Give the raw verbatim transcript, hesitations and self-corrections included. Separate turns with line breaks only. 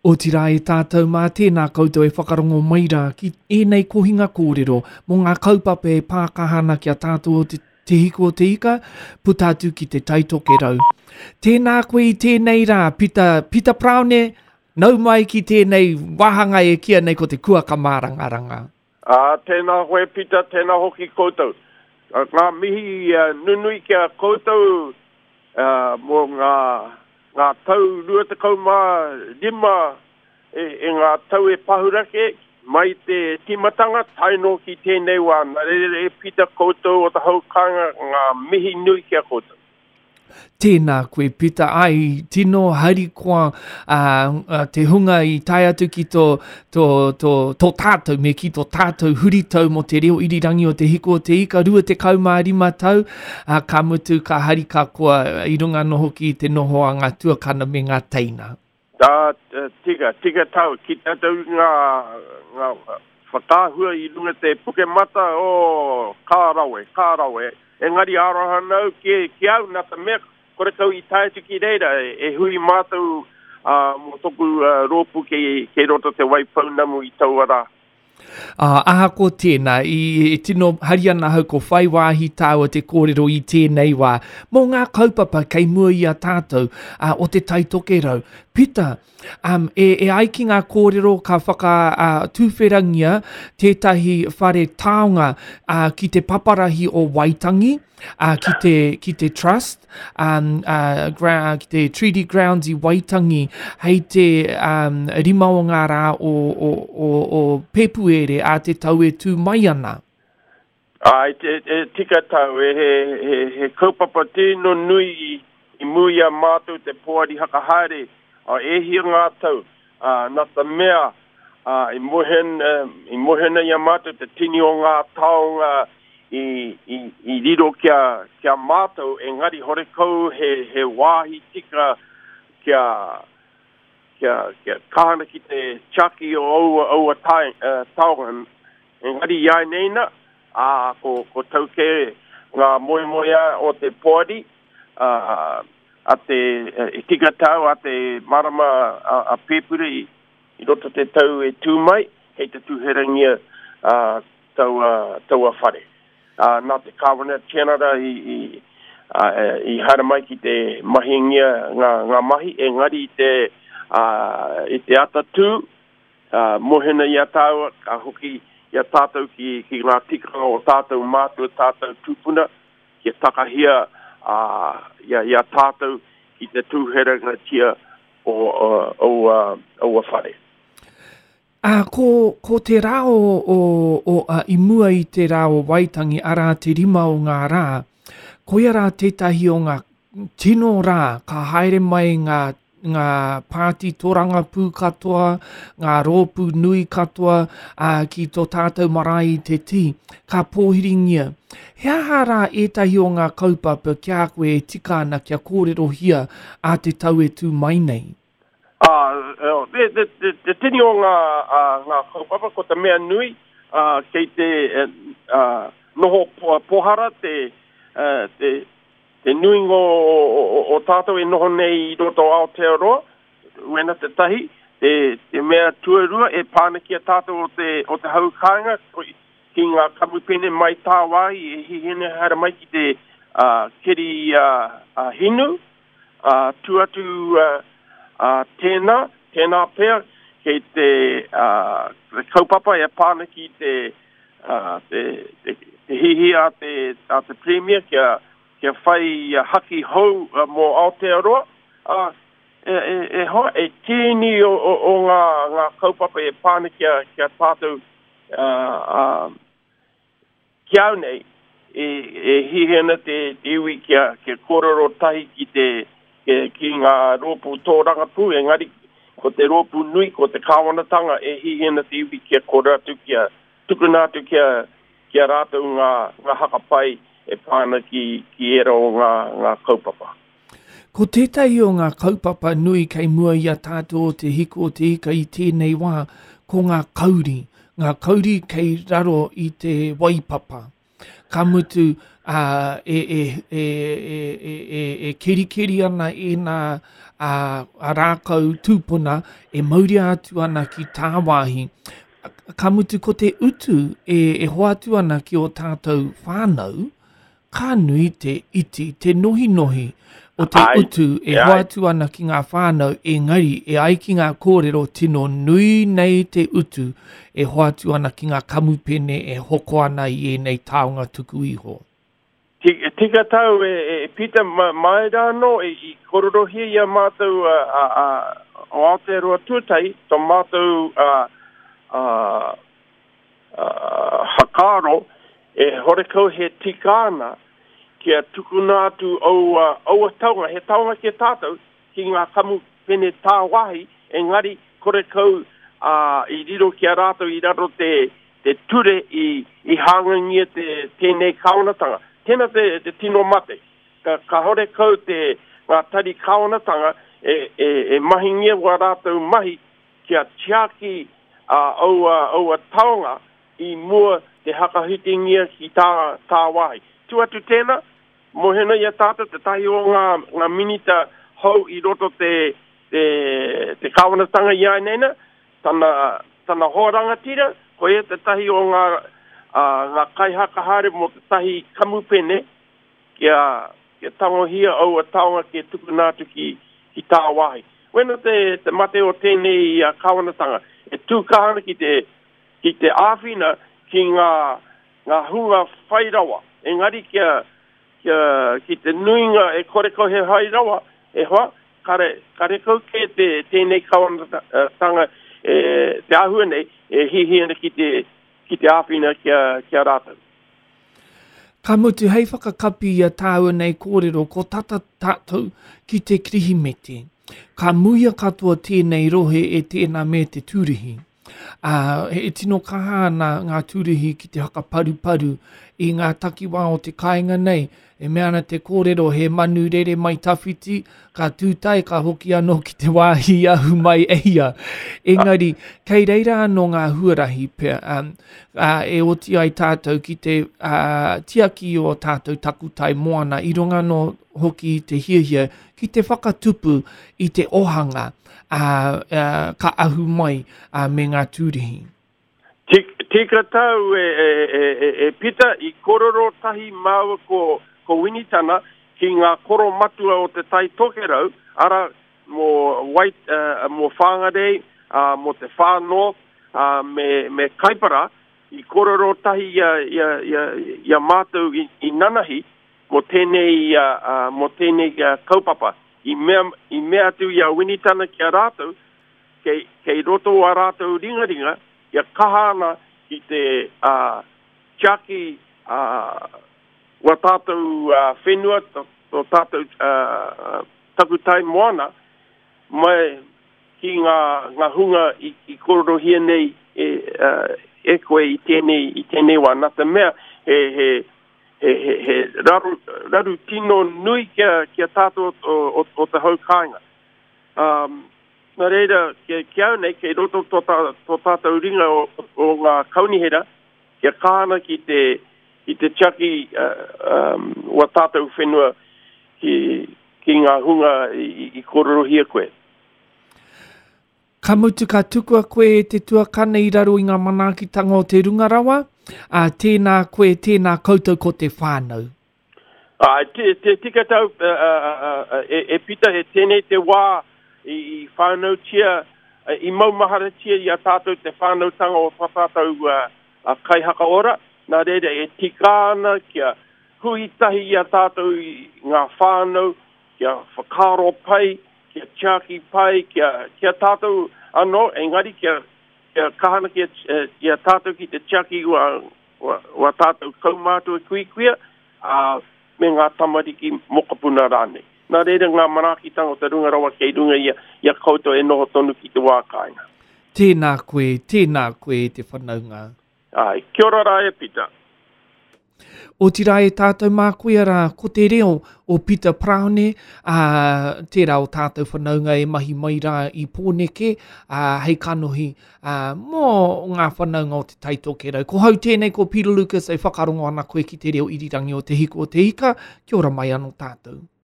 Otirā e tātou mā, tēnā koutou e whakarongo mai rā ki ēnei kohinga kōrero mō ngā kaupapa e pākaha ana ki a tātou o te Te Hiku o te Ika, puta atu ki te Tai Tokerau. Tēnā koe i tēnei rā, Pita, Pita Paraone, nau mai ki tēnei wāhanga e kīia nei ko te kuaka mārangaranga.
Ā, tēnā koe Pita, tēnā hoki koutou. Ngā mihi nunui ki a koutou mō ngā ngā tau rua tekau mā rima e, e ngā tau e pahurake mai te tīmatanga tae noa ki tēnei wā. Nā reira e Pita koutou o te hau kāinga ngā mihi nui ki a koutou.
Tēnā koe Pita, ai, tino harikoa uh, te hunga i tae atu ki tō, tō, tō, tō tātou, me ki tō tātou huritau mō te reo irirangi o Te Hiku o Te Ika, rua tekau mā rima tau, uh, ka mutu, ka hari ka koa i runga anō hoki i te noho a ngā tuakana me ngā teina.
Tā, tika, tika tau, ki tātou ngā, ngā whakaahua i runga te Pukemata, oh, ka rawe, ka rawe. Engari aroha nau ki, ki au, nā te mea, korekau i tae atu ki reira, e, e hui mātou uh, mō toku uh, rōpū kei, kei roto Te Waipounamu i taua rā.
Ā, ahakoa tēnā, i, e tino hari ana ahau ko whai wāhi tāua te kōrero i tēnei wā mō ngā kaupapa kei mua i a tātou ā, o Te Tai Tokerau. Pita, um, e, e ai ki ngā kōrero ka whakatūwherangia tētahi whare taonga ā, ki te paparahi o Waitangi, ā, ki te, ki te Trust, um, uh, gra, ki te Treaty Grounds i Waitangi hei te um, rima o ngā rā o, o, o, o Pēpuere a te tau e tū mai ana.
Āe, e, e tika tau, e, he, he, he kaupapa tino nui i, i mua i a mātou te poari hakahaere, a, e hia ngā tau, a, nā te mea, a, i mohen, i mohena i a mātou te tini o ngā taonga i, i, i riro ki a, ki a mātou, engari horekau he, he wāhi tika kia, kia, kia kahana ki te tiaki o aua, aua tae, uh, taonga. Engari i āinei nā, ā, ko, ko tau kē ngā moemoeā o te poari, ā, a te, e tika tau a te marama a, a Pēpure i, i roto te tau e tū mai, kei te tūherangia ā, taua, taua whare. Ā, nā te Kāwana Tianara i, i, ā, i haere mai ki te mahingia ngā, ngā mahi, engari i te, ā, i te atatū, ā, mohena i a tāua, ka hoki i a tātou ki, ki ngā tikanga o tātou mātua, tātou tūpuna, kia takahia ā, i, a, i a tātou ki te tūherangatia o, o, o, aua whare.
Ā, ko, ko te rā o, o, o, ā, i mua i te rā o Waitangi, arā te rima o ngā rā, koia rā tētahi o ngā tino rā ka haere mai ngā, ngā pāti torangapū katoa, ngā rōpū nui katoa, ā, ki tō tātou marae i te tī, ka pōhiringia. He aha rā ētahi o ngā kaupapa ki a koe e tika ana kia kōrerohia ā te tau e tū mai nei?
Ā, te, te, te, te tini o ngā, ā, ngā kaupapa, ko te mea nui, ā, kei te ā, noho pohara te, ā, te, te nuinga o, o, o, o tātou e noho nei i roto Aotearoa, wena te tahi, te, te mea tuarua e pā ana ki a tātou o te, o te hau kāinga, ki ngā kamupene mai tāwāhi e hihina haere mai ki te ā, keri ā, ā, hinu, ā, tū atu ā, ā, tēnā, tēnā pea, kei te, ā, te kaupapa e pā ana ki te, ā, te, te, te hihi a te, a te Premier kia, kia whai haki hou mō Aotearoa, ā, e, e, e hoa, e tīni o, o, o ngā, ngā kaupapa e pā ana ki a, ki a tātou, ā, ā, Ki au nei, e, e hiahia ana te, te iwi kia, kia kōrero tahi ki te, ki, ki ngā rōpū tōrangapū, engari ko te rōpū nui, ko te kāwanatanga e hiahia ana te iwi kia kōrero atu, kia tukuna atu kia, ki a rātou ngā, ngā haka pai e pā ana ki, ki ērā o ngā, ngā kaupapa.
Ko tētahi o ngā kaupapa nui kei mua i a tātou o Te Hiku o Te Ika i tēnei wā, ko ngā kauri, ngā kauri kei raro i te waipapa. Ka mutu, ā, e, e, e, e, e, e, e kerikeri ana ēnā ā, a, a rākau tūpuna e mauria atu ana ki tāwāhi. Ka mutu ko te utu e, e hoatu ana ki o tātou whānau, ka nui te iti, te nohinohi o te ai, utu e ai. hoatu ana ki ngā whānau, engari e ai ki ngā kōrero tino nui nei te utu e hoatu ana ki ngā kamupene e hoko ana i ēnei taonga tuku iho.
Tika tau e, e Peter, mai rā anō, e, i kororohia i a mātou a, a, a, o Aotearoa Tuatahi, tō mātou a, a, a, whakaaro, e horekau he tika ana kia tukuna atu aua, aua taonga, he taonga ki a tātou, ki ngā kamupene tāwāhi, engari korekau a, i riro ki a rātou i raro te, te ture i, i hāngangia te, tēnei kāwanatanga. Tēnā te, te tino mate. Ka, ka horekau te ngā tari kāwanatanga e, e, e mahingia wā rātou mahi kia tiaki a, aua, aua taonga i mua te hakahitengia ki tā, tāwāhi. Tu atu tēnā, mohena i a tātou te tahi o ngā, ngā minita hou i roto te, te, te kāwanatanga i āineina, tana, tana hoa rangatira, ko ia te tahi o ngā, uh, ngā kaihakahaere mō te tahi kamupene kia, kia tangohia aua taonga kia tukuna atu ki, ki tāwāhi. Wena te, te mate o tēnei uh, kāwanatanga, e tū kaha ana ki te, ki te āwhina ki ngā, ngā hunga whai rawa. Engari kia, kia, ki te nuinga e korekau he hai rawa, e hoa, kare, karekau ke te, tēnei kāwanatanga e, te āhua nei, e hihi ana ki te, ki te āwhina kia, kia rātou.
Ka mutu hei whakakapi i a tāua nei kōrero, ko tata tātou ki te Kirihimete. Ka muia katoa tēnei rohe e tēnā me te tūrihi. Uh, e tino kaha ana ngā tūrihi ki te hakaparuparu i ngā takiwā o te kāinga nei. E mea ana te kōrero he manu rere mai tawhiti, ka tūtai ka hoki anō ki te wāhi ahu mai e ia. Engari, kei reira anō ngā huarahi pea, um, uh, e oti ai tātou ki te uh, tiaki o tātou takutai moana i runga anō hoki i te hiahia ki te whakatupu i te ohanga uh, uh, ka ahu mai uh, me ngā tūrihi.
Tika tau e, e, e, e, e Pita, i kororo tahi māua ko, ko Winitana ki ngā koro matua o te Tai Tokerau, ara mō, Wait, uh, mō Whangarei, uh, mō te Whānō, uh, me, me Kaipara, i kororo tahi ia, ia, ia, ia mātou i, i nanahi mō tēnei, uh, uh, mō tēnei uh, kaupapa. I mea, i mea atu i a Winitana ki a rātou, kei, kei roto a rātou ringaringa, kia kaha ana ki te uh, tiaki uh, wa tātou uh, whenua, tō, tō tātou uh, takutai moana, mai ki ngā, ngā hunga i, i kororohia nei e, uh, e koe i tēnei, i tēnei wā. Nā te mea, he, he, he, he, he raru, raru tino nui kia, kia tātou o, o, o te hau kāinga. Um, nā reira, kia, kia au nei, kei roto tō, tā, tō tātou ringa o, o ngā kaunihera, kia kāna ki te, ki te tiaki uh, um, wa tātou whenua ki, ki ngā hunga i, i, i kororohia koe.
Ka mutu ka tukua koe e te tuakana i raro i ngā manaakitanga o te runga rawa, a tēnā koe, tēnā koutou ko te whānau.
Ai, te, te tika tau, uh, uh, uh, e, e Pita, he tēnei te wā i, i whānautia, i maumaharatia i a tātou te whānautanga o tā tātou uh, uh, kaihakaora. Nā reira e tika ana kia hui tahi i a tātou i ngā whānau, kia whakaaro pai, kia tiaki pai, kia, kia tātou anō, engari kia, kia kahana kia, kia tātou ki te tiaki ua, ua, ua tātou kaumātua kuikuia, uh, me ngā tamariki mokopuna rānei. Nā reira ngā manaakitanga o te runga rawa kei runga ia, ia koutou e noho tonu ki te wā kāinga.
Tēnā koe, tēnā koe te whanaunga.
Ai, kia ora rā e Pita.
Otirā e tātou mā koia rā, ko te reo o Pita Paraone, ā, tērā o tātou whanaunga e mahi mai rā i Pōneke, ā, hei kanohi, ā, mō ngā whanaunga o te Tai Tokerau. Ko hau tēnei, ko Peter Lucas e whakarongo ana koe ki te reo irirangi o Te Hiku o Te Ika. Kia ora mai anō tātou.